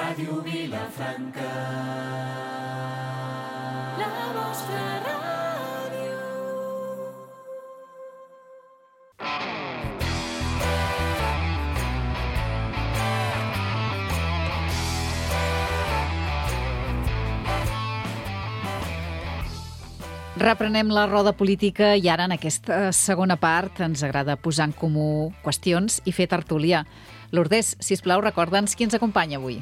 Ràdio Vilafranca, la vostra ràdio. Reprenem la roda política i ara en aquesta segona part ens agrada posar en comú qüestions i fer tertúlia. Lourdes, sisplau, recorda'ns qui ens acompanya avui.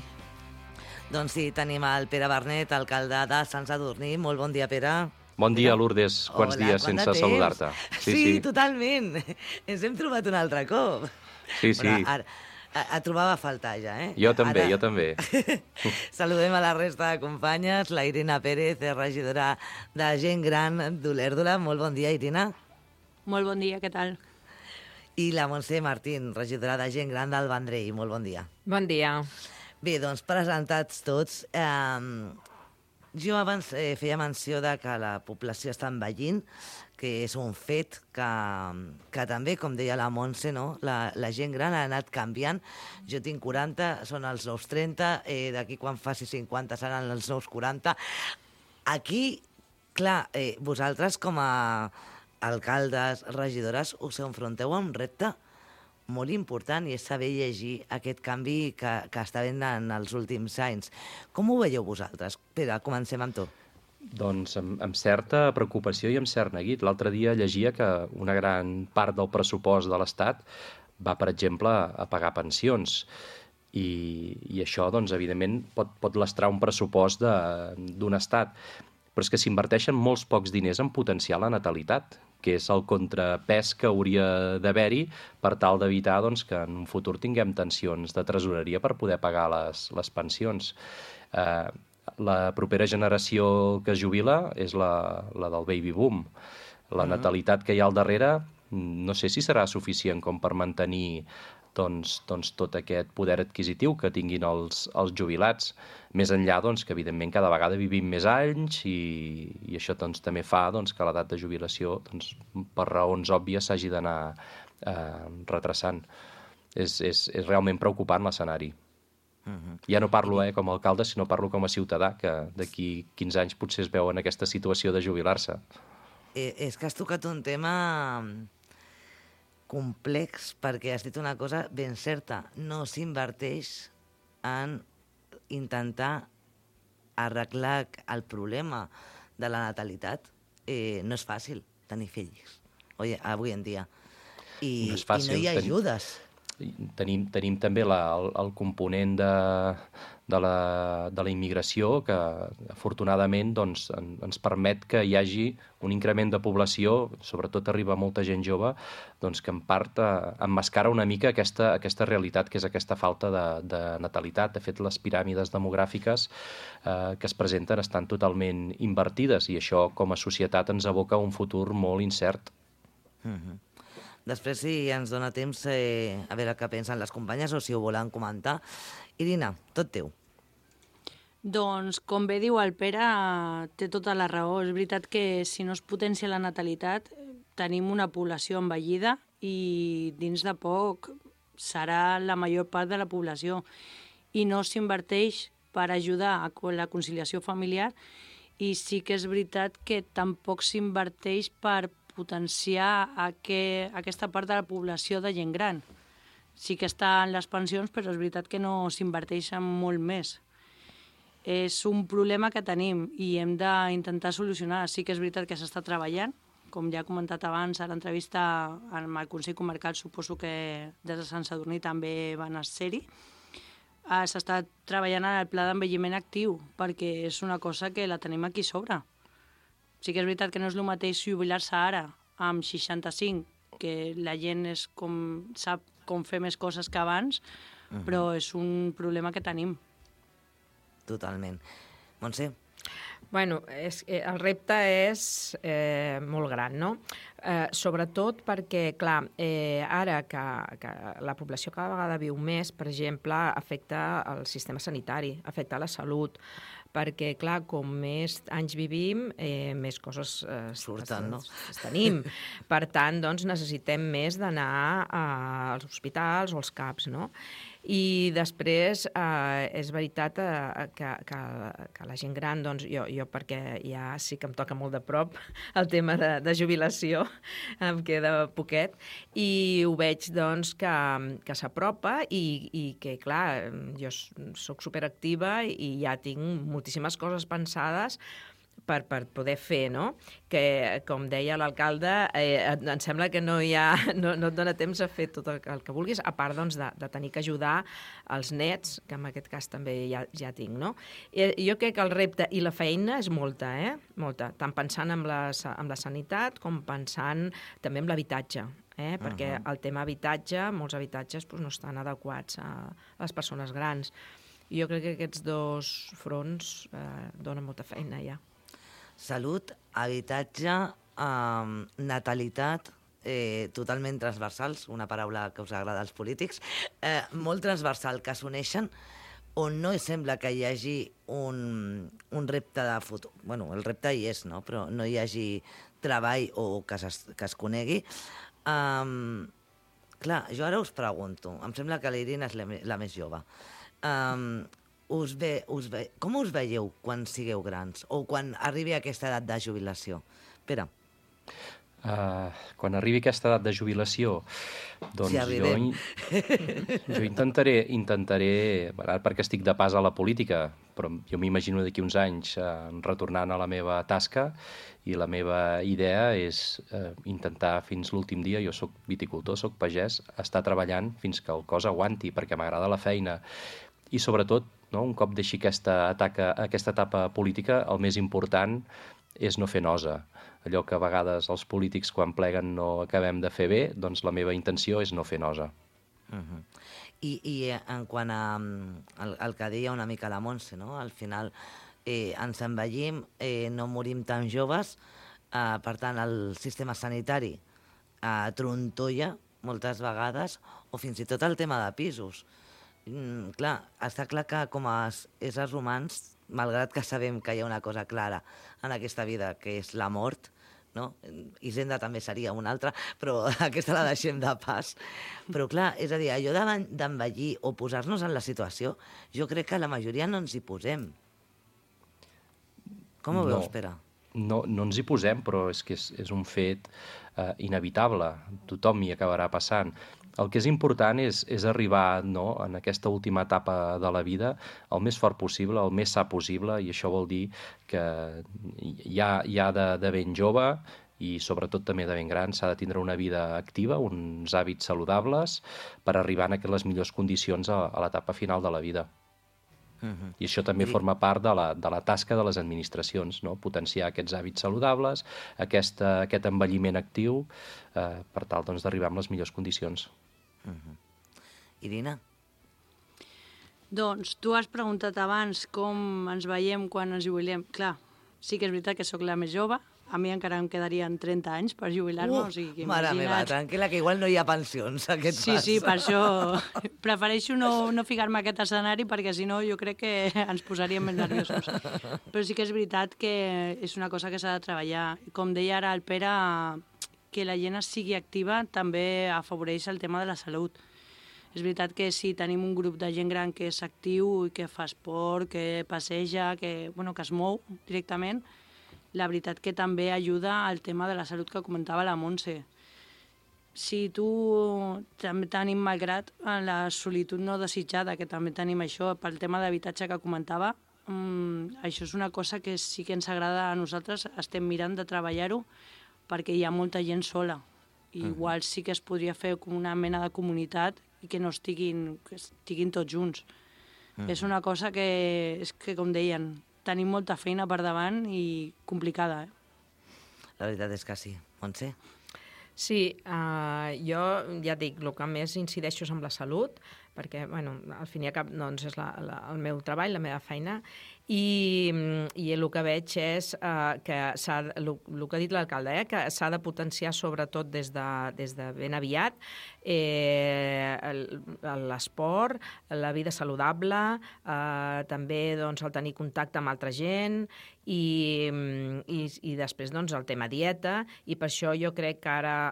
Doncs sí, tenim el Pere Bernet, alcalde de Sant Sadurní. Molt bon dia, Pere. Bon dia, Lourdes. Quants dies sense saludar-te. Sí, totalment. Ens hem trobat un altre cop. Sí. Però ara, et trobava a faltar ja, eh? Jo també. Saludem a la resta de companyes. La Irina Pérez, regidora de Gent Gran d'Olèrdola. Molt bon dia, Irina. Molt bon dia, què tal? I la Montse Martín, regidora de Gent Gran del Vendrell. Molt bon dia. Bon dia. Bé, doncs, presentats tots, jo abans feia menció de que la població està envellint, que és un fet que també, com deia la Montse, no? La gent gran ha anat canviant. Jo tinc 40, són els nous 30, d'aquí quan faci 50 seran els nous 40. Aquí, clar, vosaltres com a alcaldes, regidores, us enfronteu a un repte molt important i és saber llegir aquest canvi que està havent en els últims anys. Com ho veieu vosaltres? Pere, comencem amb tu. Doncs amb certa preocupació i amb cert neguit. L'altre dia llegia que una gran part del pressupost de l'Estat va, per exemple, a pagar pensions. I això, doncs, evidentment, pot lastrar un pressupost d'un Estat. Però és que s'inverteixen molts pocs diners en potenciar la natalitat, que és el contrapès que hauria d'haver-hi per tal d'evitar doncs, que en un futur tinguem tensions de tresoreria per poder pagar les pensions. La propera generació que es jubila és la del baby boom. La natalitat que hi ha al darrere no sé si serà suficient com per mantenir doncs, tot aquest poder adquisitiu que tinguin els jubilats. Més enllà que, evidentment, cada vegada vivim més anys i això també fa que l'edat de jubilació, per raons òbvies, s'hagi d'anar retrasant. És realment preocupant l'escenari. Ja no parlo com a alcalde, sinó parlo com a ciutadà, que d'aquí 15 anys potser es veu en aquesta situació de jubilar-se. És que has tocat un tema complex, perquè has dit una cosa ben certa. No s'inverteix en intentar arreglar el problema de la natalitat. No és fàcil tenir fills avui en dia. I no hi ha ajudes. Tenim també el component de la immigració que afortunadament ens permet que hi hagi un increment de població, sobretot arriba molta gent jove, que en part emmascara una mica aquesta realitat que és aquesta falta de natalitat. De fet, les piràmides demogràfiques que es presenten estan totalment invertides i això com a societat ens aboca a un futur molt incert. Després, si ens dona temps, a veure què pensen les companyes o si ho volen comentar. Irina, tot teu. Doncs, com bé diu el Pere, té tota la raó. És veritat que si no es potencia la natalitat, tenim una població envellida i dins de poc serà la major part de la població. I no s'inverteix per ajudar a la conciliació familiar i sí que és veritat que tampoc s'inverteix per potenciar aquesta part de la població de gent gran. Sí que està en les pensions, però és veritat que no s'inverteix en molt més. És un problema que tenim i hem d'intentar solucionar. Sí que és veritat que s'està treballant, com ja he comentat abans a l'entrevista amb el Consell Comarcal, suposo que des de Sant Sadurní també van ser-hi. S'està treballant en el pla d'envelliment actiu, perquè és una cosa que la tenim aquí sobre. Sí que és veritat que no és el mateix jubilar-se ara amb 65, que la gent sap com fer més coses que abans, però és un problema que tenim. Totalment. Montse? Bueno, el repte és molt gran, no? Sobretot perquè, clar, ara que la població cada vegada viu més, per exemple, afecta el sistema sanitari, afecta la salut, perquè, clar, com més anys vivim, més coses surten, no? tenim. Per tant, doncs, necessitem més d'anar als hospitals o als CAPs, no? I després és veritat que la gent gran, doncs jo perquè ja sí que em toca molt de prop el tema de jubilació, em queda poquet, i ho veig doncs que s'apropa i que, clar, jo soc superactiva i ja tinc moltíssimes coses pensades per poder fer, no? Que, com deia l'alcalde, em sembla que no et dona temps a fer tot el que vulguis, a part doncs, de tenir que ajudar els nets, que en aquest cas també ja tinc, no? Jo crec que el repte i la feina és molta, molta, tant pensant en la sanitat com pensant també en l'habitatge, perquè el tema habitatge, molts habitatges no estan adequats a les persones grans. I jo crec que aquests dos fronts donen molta feina ja. Salut, habitatge, natalitat, totalment transversals, una paraula que us agrada als polítics, molt transversal, que s'uneixen, on no sembla que hi hagi un repte de futur. Bueno, el repte hi és, no? Però no hi hagi treball o que es conegui. Clar, jo ara us pregunto, em sembla que l'Irina és la més jove. Com us veieu quan sigueu grans o quan arribi aquesta edat de jubilació? Pere. Quan arribi aquesta edat de jubilació, doncs si arribem. jo intentaré, perquè estic de pas a la política, però jo m'imagino d'aquí uns anys retornant a la meva tasca, i la meva idea és intentar fins l'últim dia, jo soc viticultor, soc pagès, estar treballant fins que el cos aguanti, perquè m'agrada la feina. I sobretot, no, un cop deixi aquesta etapa política, el més important és no fer nosa. Allò que a vegades els polítics quan pleguen no acabem de fer bé, doncs la meva intenció és no fer nosa. I en quant al que deia una mica la Montse, no? Al final ens envellim, no morim tan joves, per tant el sistema sanitari trontolla moltes vegades, o fins i tot el tema de pisos. Clar, està clar que com a éssers humans, malgrat que sabem que hi ha una cosa clara en aquesta vida, que és la mort, no? Hisenda també seria una altra, però aquesta la deixem de pas. Però clar, és a dir, allò d'envellir o posar-nos en la situació, jo crec que la majoria no ens hi posem. Com ho veus, Pere? No ens hi posem, però és que és un fet inevitable. Tothom hi acabarà passant. El que és important és arribar, no, en aquesta última etapa de la vida el més fort possible, el més sa possible, i això vol dir que ja de ben jove i sobretot també de ben gran s'ha de tindre una vida activa, uns hàbits saludables per arribar a les millors condicions a l'etapa final de la vida. I això també forma part de la tasca de les administracions, no? Potenciar aquests hàbits saludables, aquest envelliment actiu, per tal doncs, d'arribar amb les millors condicions. Irina? Doncs tu has preguntat abans com ens veiem quan ens jubilem. Clar, sí que és veritat que sóc la més jove, a mi encara em quedarien 30 anys per jubilar-me, o sigui que mare meva, tranquil·la, que igual no hi ha pensions aquest pas. Sí, per això prefereixo no ficar-me a aquest escenari, perquè si no jo crec que ens posaríem més nerviosos. Però sí que és veritat que és una cosa que s'ha de treballar. Com deia ara el Pere, que la gent sigui activa també afavoreix el tema de la salut. És veritat que si tenim un grup de gent gran que és actiu i que fa esport, que passeja, que es mou directament, la veritat que també ajuda al tema de la salut que comentava la Montse. Si tu també tenim, malgrat la solitud no desitjada, que també tenim això, pel tema d'habitatge que comentava, això és una cosa que sí que ens agrada a nosaltres, estem mirant de treballar-ho, perquè hi ha molta gent sola. I igual sí que es podria fer com una mena de comunitat i que no estiguin tots junts. És una cosa que, com deien, tenim molta feina per davant i complicada. La veritat és que sí. Montse? Sí, jo ja dic, el que més incideixo és amb la salut, perquè al fin i al cap doncs, és el meu treball, la meva feina, i el que veig és que el que ha dit l'alcalde, que s'ha de potenciar sobretot des de ben aviat l'esport, la vida saludable, també doncs, el tenir contacte amb altra gent i després doncs, el tema dieta, i per això jo crec que ara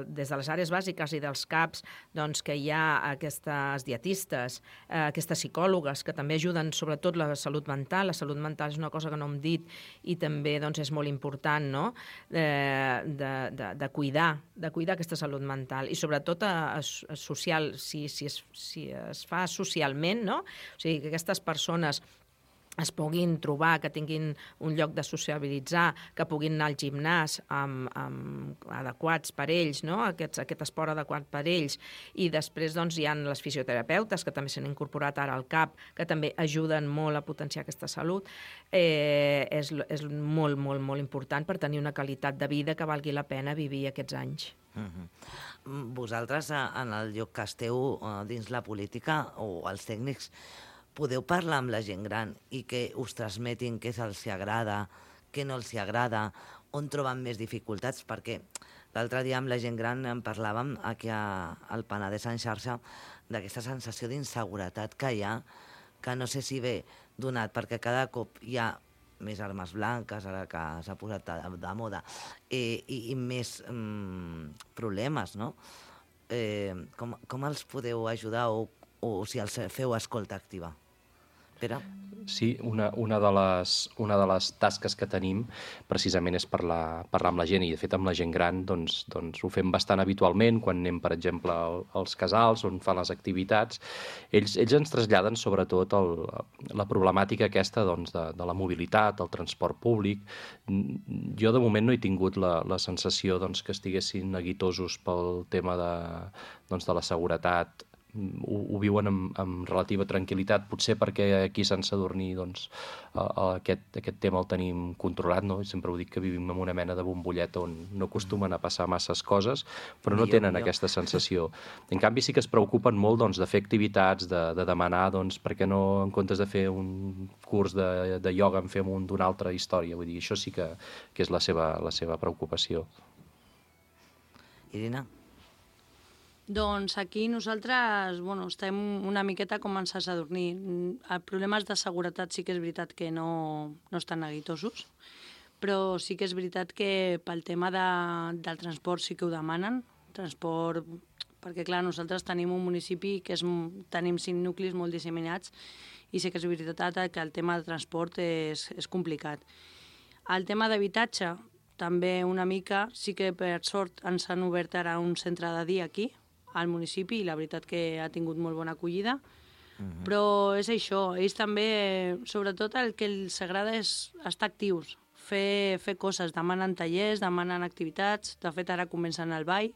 des de les àrees bàsiques i dels CAPs doncs, que hi ha aquestes les dietistes, aquestes psicòlogues que també ajuden sobretot la salut mental. La salut mental és una cosa que no hem dit i també doncs, és molt important, no? de cuidar aquesta salut mental i sobretot social, si es fa socialment, no? O sigui, que aquestes persones es puguin trobar, que tinguin un lloc de sociabilitzar, que puguin anar al gimnàs adequats per ells, no? Aquest esport adequat per ells. I després doncs, hi ha les fisioterapeutes, que també s'han incorporat ara al CAP, que també ajuden molt a potenciar aquesta salut. És molt, molt, molt important per tenir una qualitat de vida que valgui la pena vivir aquests anys. Vosaltres, en el lloc que esteu dins la política, o els tècnics, podeu parlar amb la gent gran i que us transmetin què els agrada, què no els agrada, on troben més dificultats, perquè l'altre dia amb la gent gran en parlàvem aquí al Penedès en xarxa d'aquesta sensació d'inseguretat que hi ha, que no sé si ve donat perquè cada cop hi ha més armes blanques, ara que s'ha posat de moda, i més problemes, no? Com els podeu ajudar o si els feu escolta activa? Pere? Sí, una de les tasques que tenim precisament és parlar amb la gent, i de fet amb la gent gran doncs ho fem bastant habitualment quan anem, per exemple, als casals on fan les activitats. Ells ens traslladen sobretot la problemàtica aquesta doncs, de la mobilitat, el transport públic. Jo de moment no he tingut la sensació doncs, que estiguessin neguitosos pel tema de la seguretat. Ho viuen amb relativa tranquil·litat, potser perquè aquí a Sant Sadurní doncs, aquest tema el tenim controlat, no? Sempre ho dic que vivim en una mena de bombollet on no acostumen a passar masses coses, però no tenen aquesta sensació. En canvi sí que es preocupen molt doncs, de fer activitats, de demanar doncs, per què no en comptes de fer un curs de ioga en fem un d'una altra història. Vull dir, això sí que és la seva preocupació. Irina? Doncs aquí nosaltres estem una miqueta com en Sant Sadurní. Problemes de seguretat sí que és veritat que no estan neguitosos, però sí que és veritat que pel tema del transport sí que ho demanen. Transport, perquè clar, nosaltres tenim un municipi que tenim 5 nuclis molt disseminats i sí que és veritat que el tema de transport és complicat. El tema d'habitatge també una mica, sí que per sort ens han obert ara un centre de dia aquí, al municipi, i la veritat que ha tingut molt bona acollida. Però és això, ells també, sobretot el que els agrada és estar actius, fer coses, demanen tallers, demanen activitats, de fet ara comencen el ball,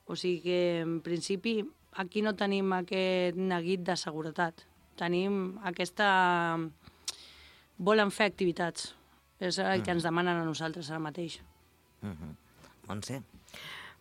o sigui que en principi aquí no tenim aquest neguit de seguretat, tenim aquesta... volen fer activitats, és el que ens demanen a nosaltres ara mateix. Montse?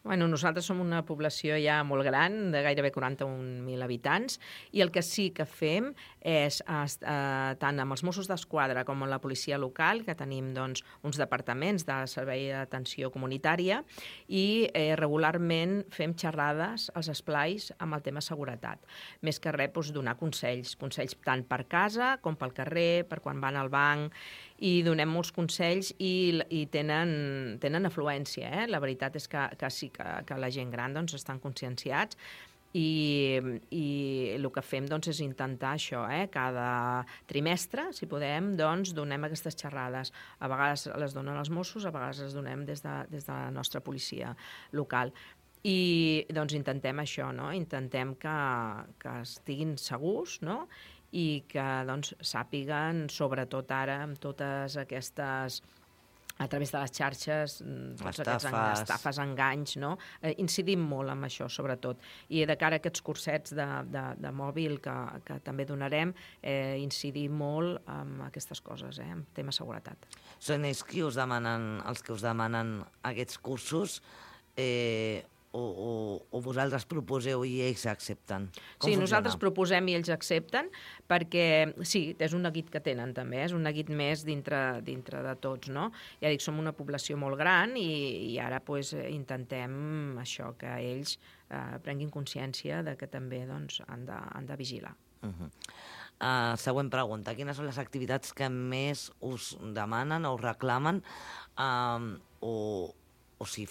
Bueno, nosaltres som una població ja molt gran, de gairebé 41.000 habitants, i el que sí que fem és, tant amb els Mossos d'Esquadra com amb la policia local, que tenim doncs, uns departaments de servei d'atenció comunitària, i regularment fem xerrades als esplais amb el tema seguretat. Més que res, doncs, donar consells tant per casa com pel carrer, per quan van al banc, i donem molts consells i tenen afluència. La veritat és que sí que la gent gran doncs, estan conscienciats i el que fem doncs, és intentar això. Cada trimestre, si podem, doncs, donem aquestes xerrades. A vegades les donen els Mossos, a vegades les donem des de la nostra policia local. I doncs intentem això, no? Intentem que estiguin segurs, no? I que doncs, sàpiguen, sobretot ara, amb totes aquestes, a través de les xarxes, estafes, enganys, no? Incidim molt en això, sobretot. I de cara a aquests cursets de mòbil que també donarem, incidim molt en aquestes coses, en tema seguretat. Són ells els que us demanen aquests cursos, o vosaltres proposeu i ells accepten? Sí, nosaltres proposem i ells accepten, perquè sí, és un neguit que tenen també, és un neguit més dintre de tots, no? Ja dic, som una població molt gran i ara pues, intentem això, que ells prenguin consciència de que també doncs, han de vigilar. Següent pregunta. Quines són les activitats que més us demanen o us reclamen o si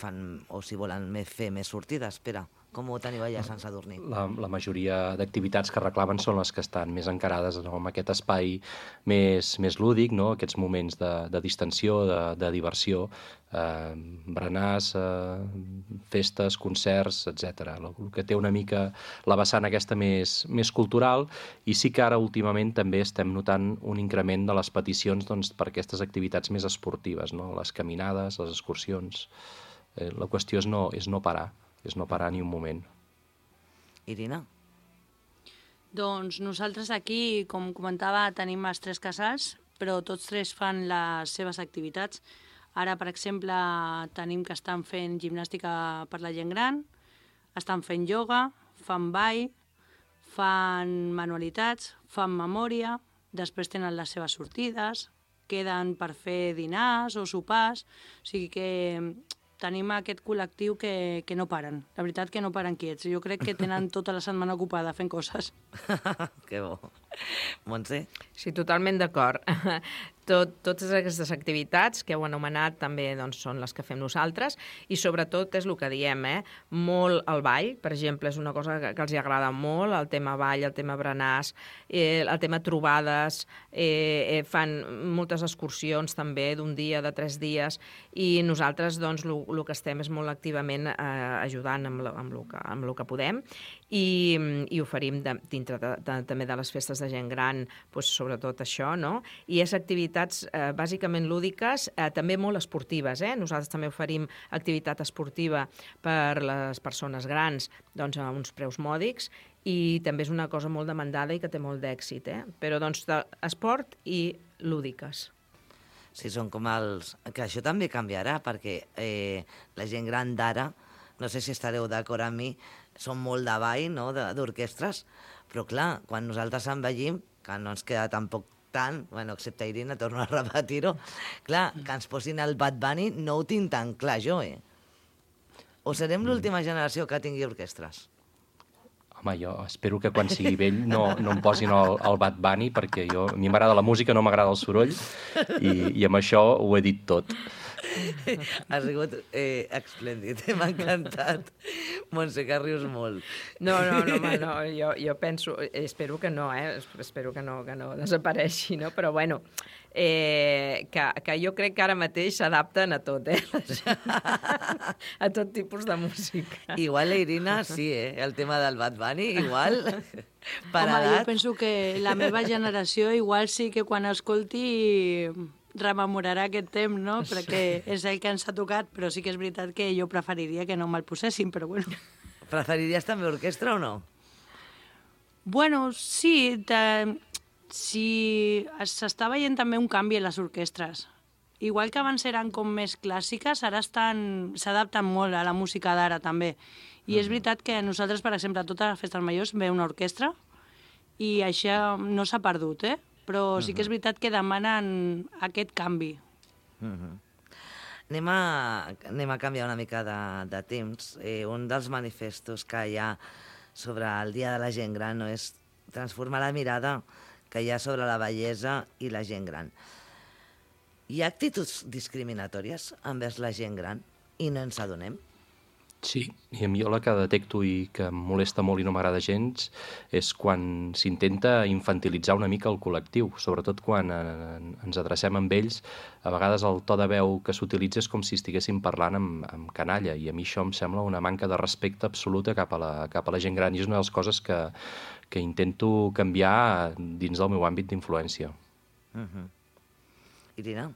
volen fer més sortides? Espera, Com ho teniu allà a Sant Sadurní? La majoria d'activitats que reclamen són les que estan més encarades, no?, amb aquest espai més lúdic, no?, aquests moments de distensió, de diversió, berenars, festes, concerts, etc. El que té una mica la vessant aquesta més cultural, i sí que ara últimament també estem notant un increment de les peticions, doncs, per aquestes activitats més esportives, no?, les caminades, les excursions. La qüestió és no parar ni un moment. Irina? Doncs nosaltres aquí, com comentava, tenim els 3 casals, però tots 3 fan les seves activitats. Ara, per exemple, tenim que estan fent gimnàstica per la gent gran, estan fent ioga, fan ball, fan manualitats, fan memòria, després tenen les seves sortides, queden per fer dinars o sopars, o sigui que tenim aquest col·lectiu que no paren. La veritat que no paren quiets. Jo crec que tenen tota la setmana ocupada fent coses. Que bo. Montse? Sí, totalment d'acord. Totes aquestes activitats que heu anomenat també doncs, són les que fem nosaltres, i sobretot és el que diem, molt el ball, per exemple, és una cosa que els agrada molt, el tema ball, el tema berenars, el tema trobades, fan moltes excursions també d'un dia, de 3 dies, i nosaltres doncs, el que estem és molt activament ajudant amb el que podem, i oferim dintre també de les festes de gent gran, doncs, sobretot això, no? I és activitats bàsicament lúdiques, també molt esportives. Nosaltres també oferim activitat esportiva per les persones grans, doncs, a uns preus mòdics, i també és una cosa molt demandada i que té molt d'èxit. Però doncs, esport i lúdiques. Sí, són com els... Que això també canviarà, perquè la gent gran d'ara, no sé si estareu d'acord amb mi, són molt de ball, no?, d'orquestres, però clar, quan nosaltres envellim, que no ens queda tampoc tant, bueno, excepte Irina, torno a repetir-ho, clar, que ens posin el Bad Bunny no ho tinc tan clar jo, O serem l'última generació que tingui orquestres? Home, jo espero que quan sigui vell no em posin el Bad Bunny, perquè a mi m'agrada la música, no m'agrada el soroll, i amb això ho he dit tot. Ha sigut esplèndid, m'ha encantat. Montse, que rius molt. No, jo penso, espero que no, espero que no desapareixi, no? Però bueno, que jo crec que ara mateix s'adapten a tot, a tot tipus de música. Igual la Irina, sí, el tema del Bad Bunny, igual, per Home, edat. jo penso que la meva generació igual sí que quan escolti rememorarà aquest temps, no? Perquè és el que ens ha tocat, però sí que és veritat que jo preferiria que no me'l posessin, però bueno. Preferiries també orquestra o no? Bueno, sí, s'està veient també un canvi en les orquestres. Igual que abans eren com més clàssiques, ara s'adapten molt a la música d'ara també. I és veritat que nosaltres, per exemple, a totes les festes majors ve una orquestra i això no s'ha perdut, però sí que és veritat que demanen aquest canvi. Anem a canviar una mica de temps. Un dels manifestos que hi ha sobre el Dia de la Gent Gran no és transformar la mirada que hi ha sobre la bellesa i la gent gran. Hi ha actituds discriminatòries envers la gent gran i no ens adonem? Sí, i a mi la que detecto i que em molesta molt i no m'agrada gens és quan s'intenta infantilitzar una mica el col·lectiu, sobretot quan ens adrecem amb ells. A vegades el to de veu que s'utilitza és com si estiguéssim parlant amb canalla, i a mi això em sembla una manca de respecte absoluta cap a la gent gran, i és una de les coses que intento canviar dins del meu àmbit d'influència. Irina?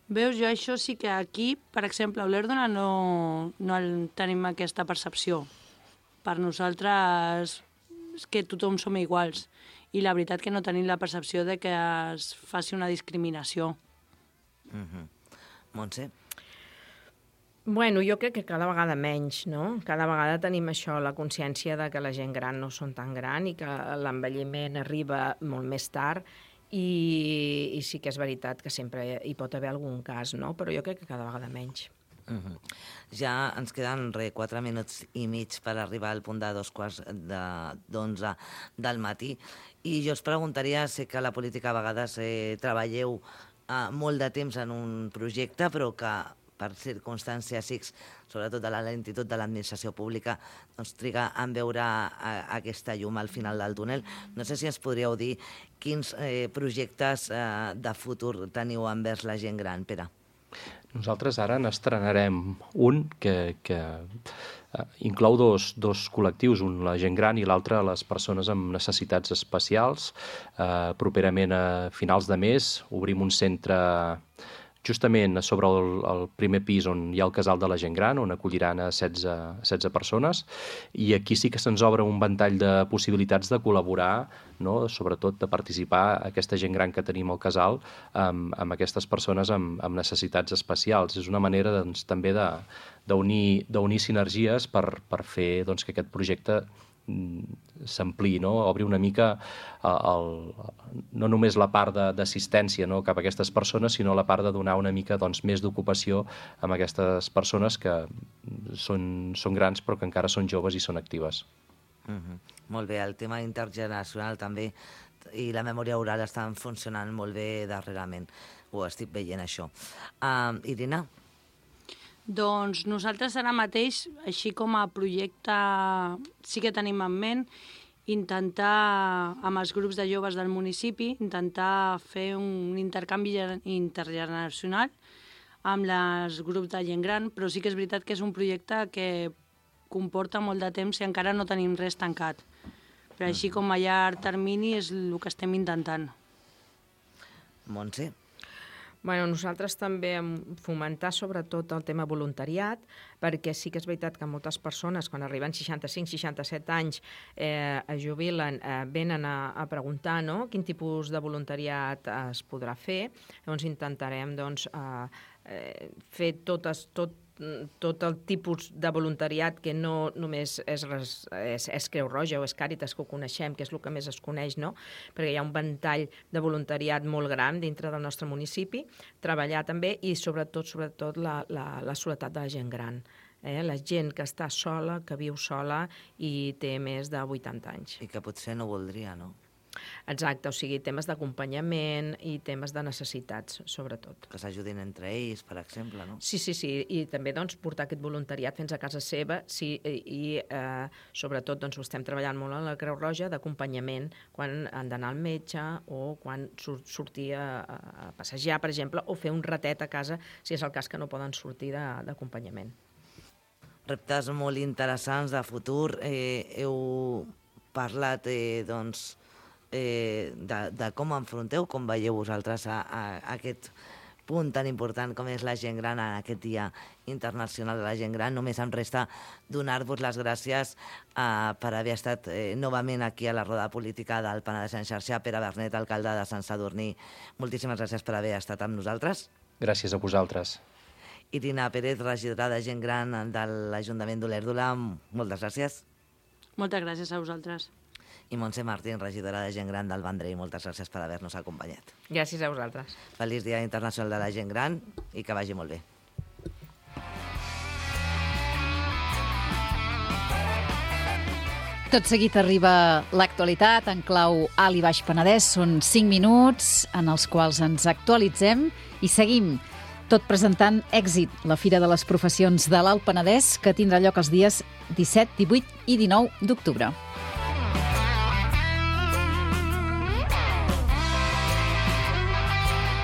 Veus, jo això sí que aquí, per exemple, a Olèrdola no tenim aquesta percepció. Per nosaltres és que tothom som iguals, i la veritat que no tenim la percepció de que es faci una discriminació. Montse? Bueno, jo crec que cada vegada menys, no? Cada vegada tenim això, la consciència de que la gent gran no són tan gran i que l'envelliment arriba molt més tard, i sí que és veritat que sempre hi pot haver algun cas, no? Però jo crec que cada vegada menys. Ja ens queden 4 minuts i mig per arribar al punt de 2:15 del matí, i jo us preguntaria, sé que a la política a vegades treballeu molt de temps en un projecte, però que per circumstàncies X, sobretot de la lentitud de l'administració pública, doncs triga en veure aquesta llum al final del túnel. No sé si ens podríeu dir quins projectes de futur teniu envers la gent gran, Pere. Nosaltres ara n'estrenarem un que inclou dos col·lectius, un la gent gran i l'altre les persones amb necessitats especials. Properament a finals de mes obrim un centre justament sobre el primer pis on hi ha el casal de la gent gran, on acolliran a 16 persones, i aquí sí que se'ns obre un ventall de possibilitats de col·laborar, no? Sobretot de participar aquesta gent gran que tenim al casal amb aquestes persones amb necessitats especials. És una manera doncs, també d'unir sinergies per fer doncs, que aquest projecte s'ampliï, no? Obri una mica no només la part d'assistència, no? Cap a aquestes persones, sinó la part de donar una mica doncs, més d'ocupació amb aquestes persones que són grans però que encara són joves i són actives. Molt bé, el tema intergeneracional també i la memòria oral estan funcionant molt bé darrerament. Ho estic veient, això. Irina? Doncs nosaltres ara mateix, així com a projecte, sí que tenim en ment intentar, amb els grups de joves del municipi, intentar fer un intercanvi intergeneracional amb els grups de gent gran, però sí que és veritat que és un projecte que comporta molt de temps i encara no tenim res tancat. Però així com a llarg termini és el que estem intentant. Montse? Bueno, nosaltres també fomentar sobretot el tema voluntariat, perquè sí que és veritat que moltes persones, quan arriben 65-67 anys, es jubilen, venen a preguntar, no?, quin tipus de voluntariat es podrà fer. Llavors intentarem fer tot el tipus de voluntariat que no només és Creu Roja o és Càritas, que ho coneixem, que és el que més es coneix, no? Perquè hi ha un ventall de voluntariat molt gran dintre del nostre municipi, treballar també i sobretot la soledat de la gent gran. La gent que està sola, que viu sola i té més de 80 anys. I que potser no voldria, no? Exacte, o sigui, temes d'acompanyament i temes de necessitats, sobretot. Que s'ajudin entre ells, per exemple, no? Sí, i també doncs, portar aquest voluntariat fins a casa seva i sobretot doncs, ho estem treballant molt a la Creu Roja d'acompanyament quan han d'anar al metge o quan sortir a passejar, per exemple, o fer un ratet a casa si és el cas que no poden sortir d'acompanyament. Reptes molt interessants de futur. Heu parlat, doncs, de com enfronteu, com veieu vosaltres a aquest punt tan important com és la gent gran en aquest Dia Internacional de la Gent Gran. Només em resta donar-vos les gràcies per haver estat novament aquí a la roda política del Penedès en xarxa. Pere Bernet, alcalde de Sant Sadurní, moltíssimes gràcies per haver estat amb nosaltres. Gràcies a vosaltres. Irina Pérez, regidora de Gent Gran de l'Ajuntament d'Olèrdola, moltes gràcies. Moltes gràcies a vosaltres. I Montse Martín, regidora de Gent Gran del Vendrell, moltes gràcies per haver-nos acompanyat. Gràcies a vosaltres. Feliç Dia Internacional de la Gent Gran i que vagi molt bé. Tot seguit arriba l'actualitat en clau Alt i Baix Penedès. Són 5 minuts en els quals ens actualitzem i seguim tot presentant Èxit, la Fira de les Professions de l'Alt Penedès, que tindrà lloc els dies 17, 18 i 19 d'octubre.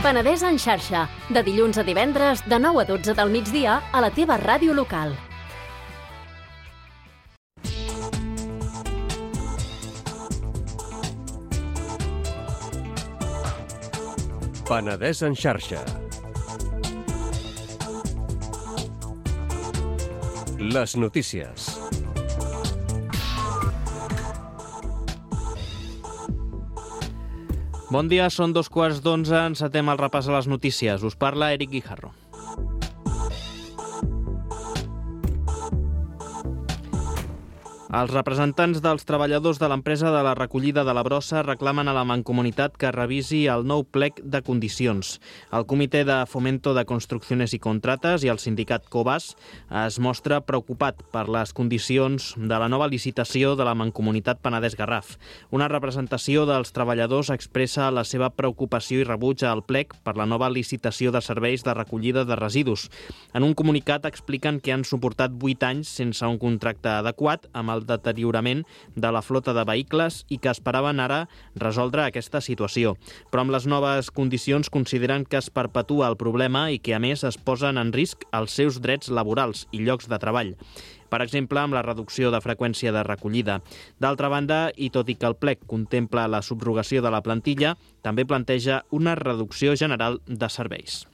Penedès en xarxa, de dilluns a divendres, de 9 a 12 del migdia, a la teva ràdio local. Penedès en xarxa. Les notícies. Bon dia, són 2:15, encetem el repàs a les notícies. Us parla Eric Guijarro. Els representants dels treballadors de l'empresa de la recollida de la brossa reclamen a la Mancomunitat que revisi el nou plec de condicions. El Comitè de Fomento de Construcciones i Contrates i el sindicat Cobas es mostra preocupat per les condicions de la nova licitació de la Mancomunitat Penedès-Garraf. Una representació dels treballadors expressa la seva preocupació i rebuig al plec per la nova licitació de serveis de recollida de residus. En un comunicat expliquen que han suportat 8 anys sense un contracte adequat amb el deteriorament de la flota de vehicles i que esperaven ara resoldre aquesta situació. Però amb les noves condicions consideren que es perpetua el problema i que a més es posen en risc els seus drets laborals i llocs de treball. Per exemple, amb la reducció de freqüència de recollida. D'altra banda, i tot i que el plec contempla la subrogació de la plantilla, també planteja una reducció general de serveis.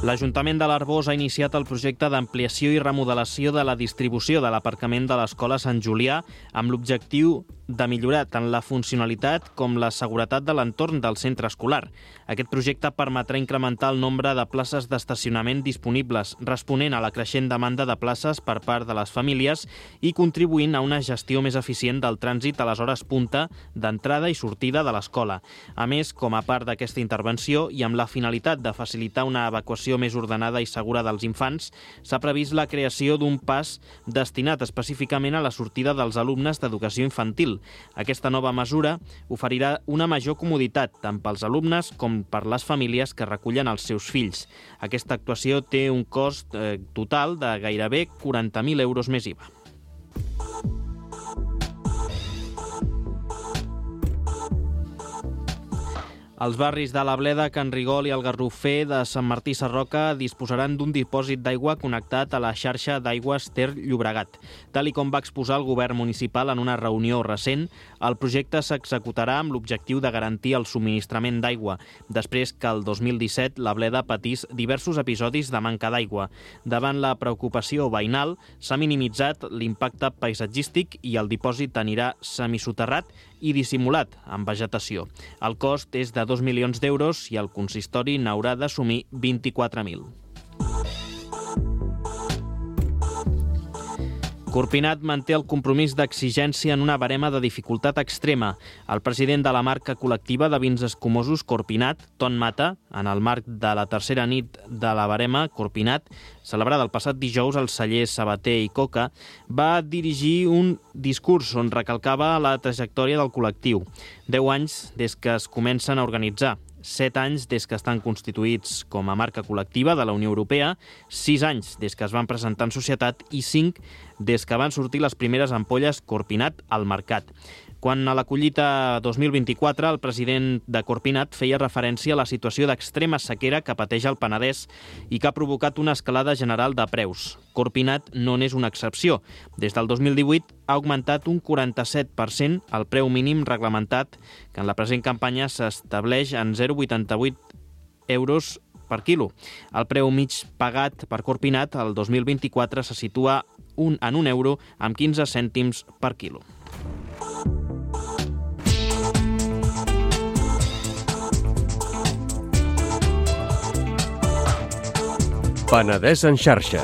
L'Ajuntament de l'Arboç ha iniciat el projecte d'ampliació i remodelació de la distribució de l'aparcament de l'Escola Sant Julià amb l'objectiu de millorar tant la funcionalitat com la seguretat de l'entorn del centre escolar. Aquest projecte permetrà incrementar el nombre de places d'estacionament disponibles, responent a la creixent demanda de places per part de les famílies i contribuint a una gestió més eficient del trànsit a les hores punta d'entrada i sortida de l'escola. A més, com a part d'aquesta intervenció i amb la finalitat de facilitar una evacuació més ordenada i segura dels infants, s'ha previst la creació d'un pas destinat específicament a la sortida dels alumnes d'educació infantil. Aquesta nova mesura oferirà una major comoditat tant pels alumnes com per les famílies que recullen els seus fills. Aquesta actuació té un cost total de gairebé 40.000 euros més IVA. Els barris de la Bleda, Can Rigol i el Garrofer de Sant Martí Sarroca disposaran d'un dipòsit d'aigua connectat a la xarxa d'aigües Ter Llobregat. Tal i com va exposar el govern municipal en una reunió recent, el projecte s'executarà amb l'objectiu de garantir el subministrament d'aigua, després que el 2017 la Bleda patís diversos episodis de manca d'aigua. Davant la preocupació veïnal, s'ha minimitzat l'impacte paisatgístic i el dipòsit anirà semisoterrat i dissimulat amb vegetació. El cost és de 2 milions d'euros i el consistori n'haurà d'assumir 24.000. Corpinat manté el compromís d'exigència en una barema de dificultat extrema. El president de la marca col·lectiva de vins escumosos Corpinat, Ton Mata, en el marc de la tercera nit de la barema Corpinat, celebrada el passat dijous al celler Sabater i Coca, va dirigir un discurs on recalcava la trajectòria del col·lectiu. 10 anys des que es comencen a organitzar, 7 anys des que estan constituïts com a marca col·lectiva de la Unió Europea, 6 anys des que es van presentar en societat i 5 des que van sortir les primeres ampolles Corpinat al mercat. Quan a la collita 2024 el president de Corpinat feia referència a la situació d'extrema sequera que pateix el Penedès i que ha provocat una escalada general de preus. Corpinat no n'és una excepció. Des del 2018 ha augmentat un 47% el preu mínim reglamentat, que en la present campanya s'estableix en 0,88 euros per quilo. El preu mig pagat per Corpinat el 2024 se situa en €1 amb 15 cèntims per quilo. Penedès en xarxa.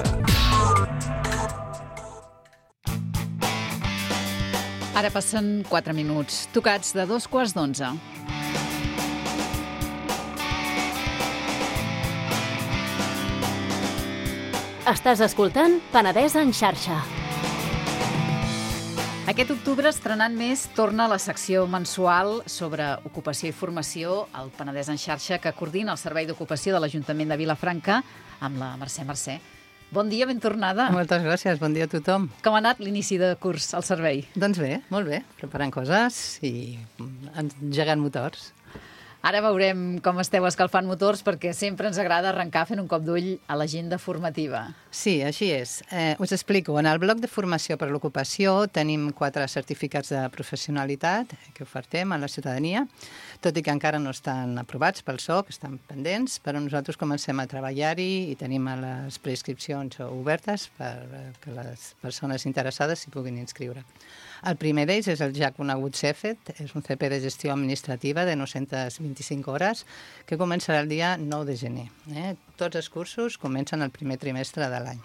Ara passen 4 minuts, tocats de 11:15. Estàs escoltant Penedès en xarxa. Aquest octubre, estrenant més, torna la secció mensual sobre ocupació i formació al Penedès en xarxa que coordina el Servei d'Ocupació de l'Ajuntament de Vilafranca amb la Mercè Mercè. Bon dia, ben tornada. Moltes gràcies, bon dia a tothom. Com ha anat l'inici de curs al servei? Doncs bé, molt bé, preparant coses i engegant motors. Ara veurem com esteu escalfant motors perquè sempre ens agrada arrencar fent un cop d'ull a l'agenda formativa. Sí, així és. Us explico. En el bloc de formació per l'ocupació tenim 4 certificats de professionalitat que ofertem a la ciutadania, tot i que encara no estan aprovats pel SOC, estan pendents, però nosaltres comencem a treballar-hi i tenim les preinscripcions obertes perquè les persones interessades s'hi puguin inscriure. El primer d'ells és el ja conegut CEFET, és un CP de gestió administrativa de 925 hores que començarà el dia 9 de gener. Tots els cursos comencen el primer trimestre de l'any.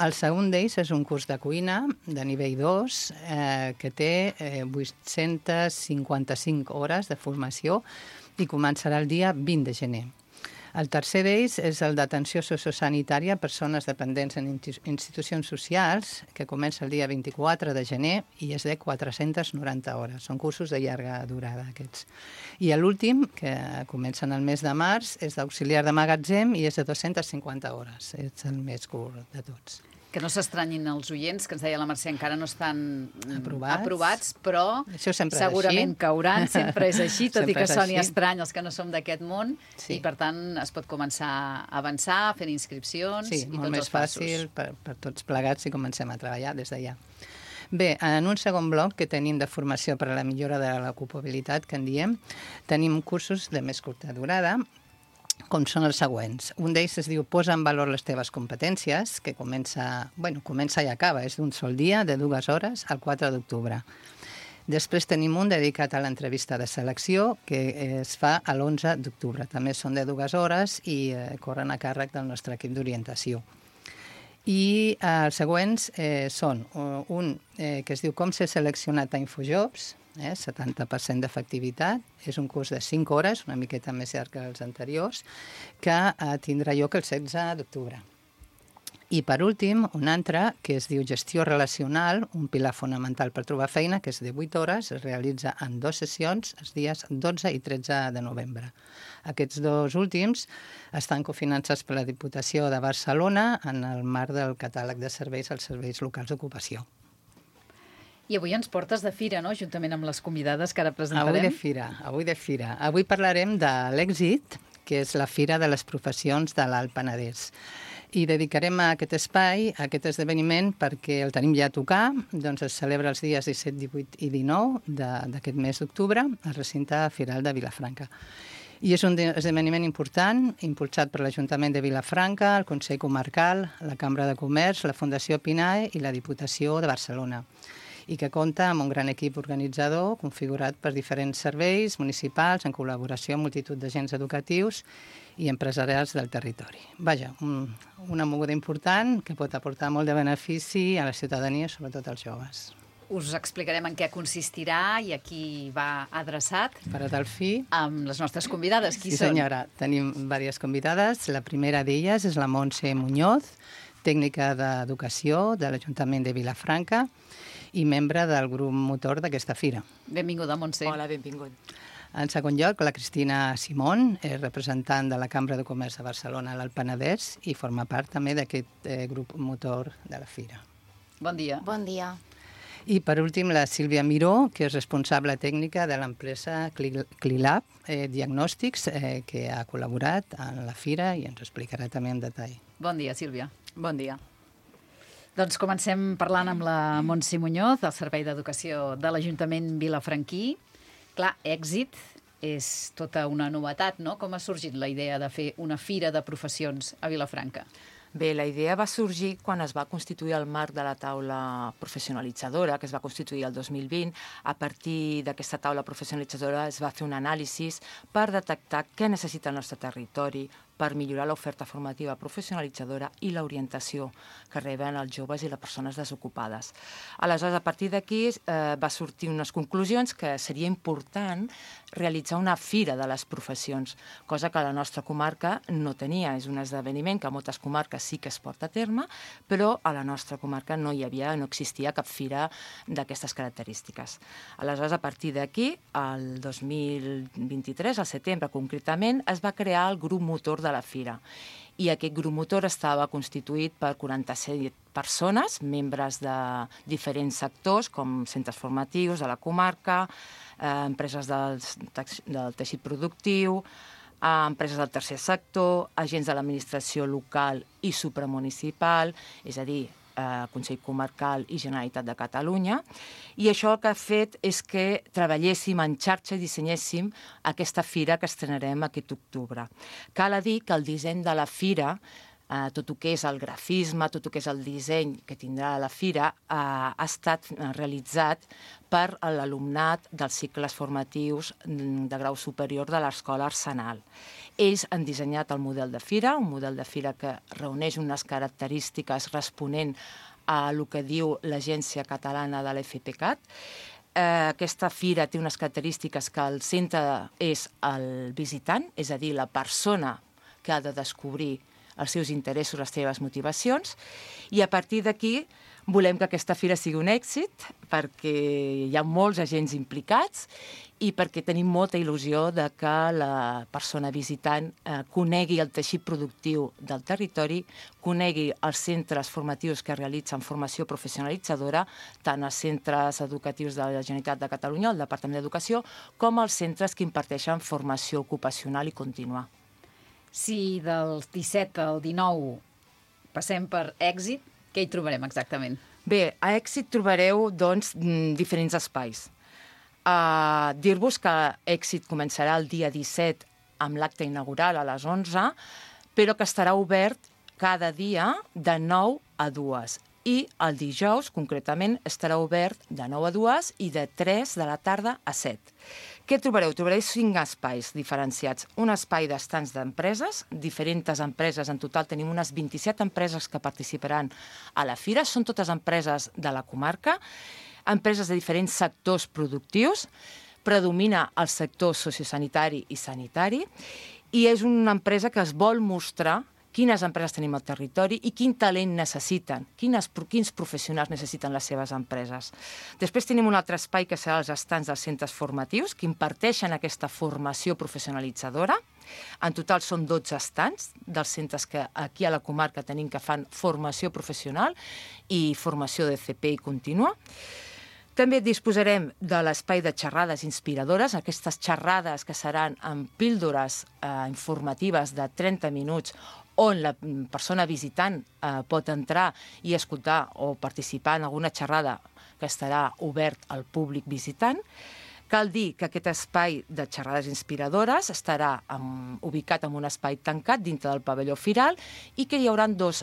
El segon d'ells és un curs de cuina de nivell 2 que té 855 hores de formació i començarà el dia 20 de gener. El tercer d'ells és el d'atenció sociosanitària a persones dependents en institucions socials, que comença el dia 24 de gener i és de 490 hores. Són cursos de llarga durada, aquests. I l'últim, que comença en el mes de març, és d'auxiliar de magatzem i és de 250 hores. És el més curt de tots. Que no s'estranyin els oients, que ens deia la Mercè, encara no estan aprovats, però segurament cauran, sempre és així, tot i que soni estrany els que no som d'aquest món, i per tant es pot començar a avançar, fent inscripcions i tots els passos. Sí, molt més fàcil per tots plegats si comencem a treballar des d'allà. Bé, en un segon bloc que tenim de formació per a la millora de l'ocupabilitat, que en diem, tenim cursos de més curta durada, com són els següents. Un d'ells es diu Posa en valor les teves competències, que comença i acaba, és d'un sol dia, de 2 hores, al 4 d'octubre. Després tenim un dedicat a l'entrevista de selecció, que es fa a l'11 d'octubre. També són de 2 hores i corren a càrrec del nostre equip d'orientació. I els següents són un que es diu Com ser seleccionat a Infojobs, 70% d'efectivitat. És un curs de 5 hores, una miqueta més llarg que els anteriors, que tindrà lloc el 16 d'octubre. I per últim, un altre que es diu Gestió relacional, un pilar fonamental per trobar feina, que és de 8 hores, es realitza en 2 sessions, els dies 12 i 13 de novembre. Aquests 2 últims estan cofinançats per la Diputació de Barcelona en el marc del catàleg de serveis als serveis locals d'ocupació. I avui ens portes de fira, no?, juntament amb les convidades que ara presentarem. Avui de fira. Avui parlarem de l'Èxit, que és la Fira de les Professions de l'Alt Penedès. I dedicarem a aquest espai, a aquest esdeveniment, perquè el tenim ja a tocar, doncs es celebra els dies 17, 18 i 19 d'aquest mes d'octubre al recinte firal de Vilafranca. I és un esdeveniment important, impulsat per l'Ajuntament de Vilafranca, el Consell Comarcal, la Cambra de Comerç, la Fundació PINAE i la Diputació de Barcelona, i que compta amb un gran equip organitzador configurat per diferents serveis municipals en col·laboració amb multitud d'agents educatius i empresarials del territori. Vaja, una moguda important que pot aportar molt de benefici a la ciutadania, sobretot als joves. Us explicarem en què consistirà i a qui va adreçat. Per a tal fi. Amb les nostres convidades. Qui són? Sí, senyora. Tenim diverses convidades. La primera d'elles és la Montse Muñoz, tècnica d'educació de l'Ajuntament de Vilafranca i membre del grup motor d'aquesta fira. Benvinguda, Montse. Hola, benvingut. En segon lloc, la Cristina Simón, és representant de la Cambra de Comerç de Barcelona a l'Alt Penedès i forma part també d'aquest grup motor de la fira. Bon dia. Bon dia. I per últim, la Sílvia Miró, que és responsable tècnica de l'empresa Clilab Diagnòstics, que ha col·laborat en la fira i ens ho explicarà també en detall. Bon dia, Sílvia. Bon dia. Doncs comencem parlant amb la Montse Muñoz, del Servei d'Educació de l'Ajuntament vilafranquí. Clar, Èxit és tota una novetat, no? Com ha sorgit la idea de fer una fira de professions a Vilafranca? Bé, la idea va sorgir quan es va constituir el marc de la taula professionalitzadora, que es va constituir el 2020. A partir d'aquesta taula professionalitzadora es va fer un anàlisi per detectar què necessita el nostre territori per millorar l'oferta formativa professionalitzadora i l'orientació que reben els joves i les persones desocupades. Aleshores, a partir d'aquí va sortir unes conclusions que seria important realitzar una fira de les professions, cosa que la nostra comarca no tenia. És un esdeveniment que a moltes comarques sí que es porta a terme, però a la nostra comarca no existia cap fira d'aquestes característiques. Aleshores, a partir d'aquí, el 2023, al setembre concretament, es va crear el grup motor de la fira. I aquest grup motor estava constituït per 47 persones, membres de diferents sectors, com centres formatius de la comarca, empreses del teixit productiu, empreses del tercer sector, agents de l'administració local i supramunicipal, és a dir, Consell Comarcal i Generalitat de Catalunya, i això el que ha fet és que treballéssim en xarxa i dissenyéssim aquesta fira que estrenarem aquest octubre. Cal dir que el disseny de la fira tot el que és el grafisme, tot el que és el disseny que tindrà la fira, ha estat realitzat per l'alumnat dels cicles formatius de grau superior de l'Escola Arsenal. Ells han dissenyat el model de fira, un model de fira que reuneix unes característiques responent a el que diu l'Agència Catalana de l'FPCAT. Aquesta fira té unes característiques que el centre és el visitant, és a dir, la persona que ha de descobrir els seus interessos, les seves motivacions, i a partir d'aquí volem que aquesta fira sigui un èxit perquè hi ha molts agents implicats i perquè tenim molta il·lusió de que la persona visitant conegui el teixit productiu del territori, conegui els centres formatius que realitzen formació professionalitzadora, tant els centres educatius de la Generalitat de Catalunya, el Departament d'Educació, com els centres que imparteixen formació ocupacional i contínua. Si del 17 al 19 passem per èxit, què hi trobarem exactament? Bé, a èxit trobareu, doncs, diferents espais. Dir-vos que èxit començarà el dia 17 amb l'acte inaugural a les 11, però que estarà obert cada dia de 9 a 2. I el dijous, concretament, estarà obert de 9 a 2 i de 3 de la tarda a 7. Què trobareu? Trobareu 5 espais diferenciats. Un espai d'estants d'empreses, diferents empreses, en total tenim unes 27 empreses que participaran a la fira, són totes empreses de la comarca, empreses de diferents sectors productius, predomina el sector sociosanitari i sanitari, i és una empresa que es vol mostrar quines empreses tenim al territori i quin talent necessiten, quins professionals necessiten les seves empreses. Després tenim un altre espai que serà els estants dels centres formatius que imparteixen aquesta formació professionalitzadora. En total són 12 estants dels centres que aquí a la comarca tenim que fan formació professional i formació de CP i contínua. També disposarem de l'espai de xerrades inspiradores, aquestes xerrades que seran amb píldores informatives de 30 minuts on la persona visitant pot entrar i escoltar o participar en alguna xerrada que estarà obert al públic visitant. Cal dir que aquest espai de xerrades inspiradores estarà ubicat en un espai tancat dintre del pavelló firal i que hi haurà 2